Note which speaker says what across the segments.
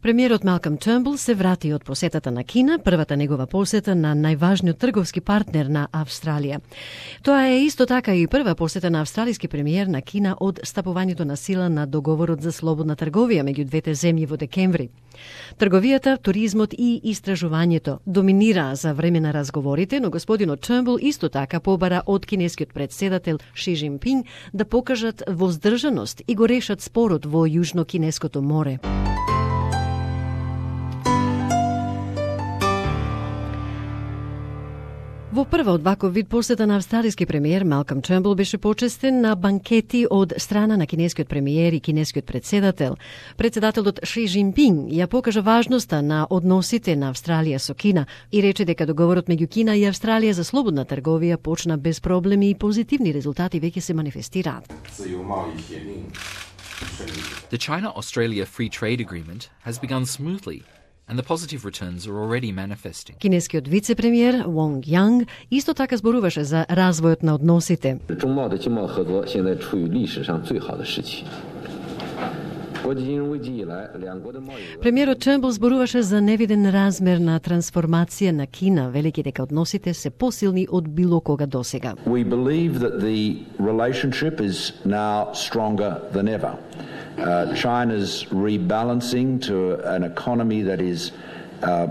Speaker 1: Премиерот Малком Тернбул се врати од посетата на Кина, првата негова посета на најважниот трговски партнер на Австралија. Тоа е исто така и прва посета на австралиски премиер на Кина од стапувањето на сила на договорот за слободна трговија меѓу двете земји во декември. Трговијата, туризмот и истражувањето доминираа за време на разговорите, но господинот Тернбул исто така побара од кинескиот претседател Ши Џинпинг да покажат воздржаност и го решат спорот во Јужно-Кинеското море. Во прва од ваков вид посета на австралиски премиер Малком Тернбул беше почестен на банкети од страна на кинескиот премиер и кинескиот претседател. Претседателот Ши Џинпинг ја покажа важноста на односите на Австралија со Кина и рече дека договорот меѓу Кина и Австралија за слободна трговија почна без проблеми и позитивни резултати веќе се манифестираат.
Speaker 2: The China-Australia Free Trade Agreement has begun smoothly, and the positive returns are already manifesting.
Speaker 1: Кинескиот вице-премиер Вонг Јанг исто така зборуваше за развојот на односите. Премиерот Тернбул зборуваше за невиден размер на трансформација на Кина, велики дека односите се посилни од било кога досега.
Speaker 3: We believe that the relationship is now stronger than ever. China's rebalancing to an economy that is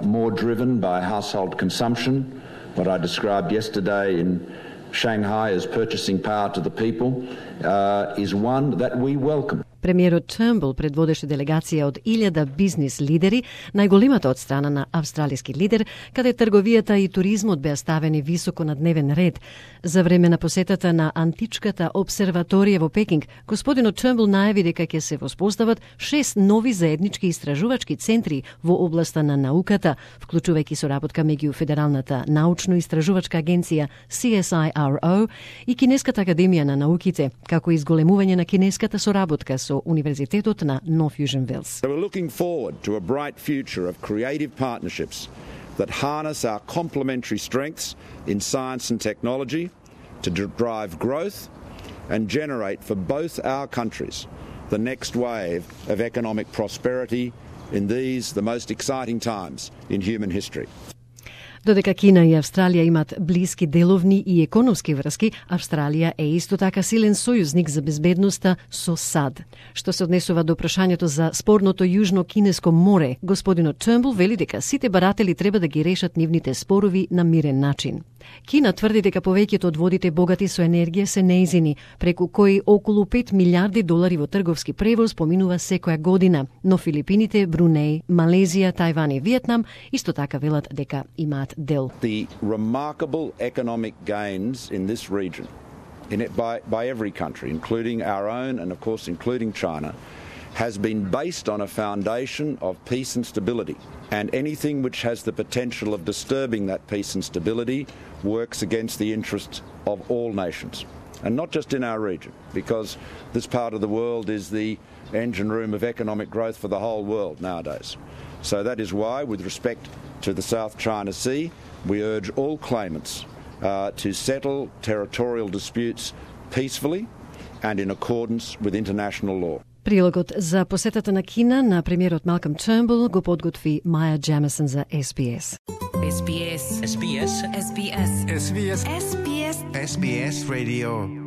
Speaker 3: more driven by household consumption, what I described yesterday in Shanghai as purchasing power to the people, is one that we welcome.
Speaker 1: Премиерот Тернбул предводеше делегација од 1000 бизнис лидери, најголемата од страна на австралиски лидер, каде трговијата и туризмот беа ставени високо на дневен ред. За време на посетата на античката обсерваторија во Пекинг, господинот Тернбул најави дека ќе се воспостават 6 нови заеднички истражувачки центри во областа на науката, вклучувајќи соработка меѓу Федералната научно-истражувачка агенција CSIRO и Кинеската академија на науките, како и изголемување на кинеската соработка со Универзитетот на North Fusion Wells.
Speaker 4: We're looking forward to a bright future of creative partnerships that harness our complementary strengths in science and technology to drive growth and generate for both our countries the next wave of economic prosperity in these, the most exciting times in human history.
Speaker 1: Додека Кина и Австралија имат блиски деловни и економски врски, Австралија е исто така силен сојузник за безбедноста со САД. Што се однесува до прашањето за спорното Јужно-Кинеско море, господинот Тернбул вели дека сите баратели треба да ги решат нивните спорови на мирен начин. Кина тврди дека повеќето од водите богати со енергија се неизини, преку кои околу $5 милиарди во трговски превоз поминува секоја година, но Филипините, Брунеј, Малезија, Тајван и Виетнам исто така велат дека имаат дел.
Speaker 4: The remarkable economic gains in this region, by every country, including our own and of course including China, has been based on a foundation of peace and stability. And anything which has the potential of disturbing that peace and stability works against the interests of all nations. And not just in our region, because this part of the world is the engine room of economic growth for the whole world nowadays. So that is why, with respect to the South China Sea, we urge all claimants to settle territorial disputes peacefully and in accordance with international law.
Speaker 1: Прилогот за посетата на Кина на премиерот Малком Тернбул го подготви Маја Джемисон за SBS.
Speaker 5: SBS. SBS. SBS. SBS. SBS. SBS Radio.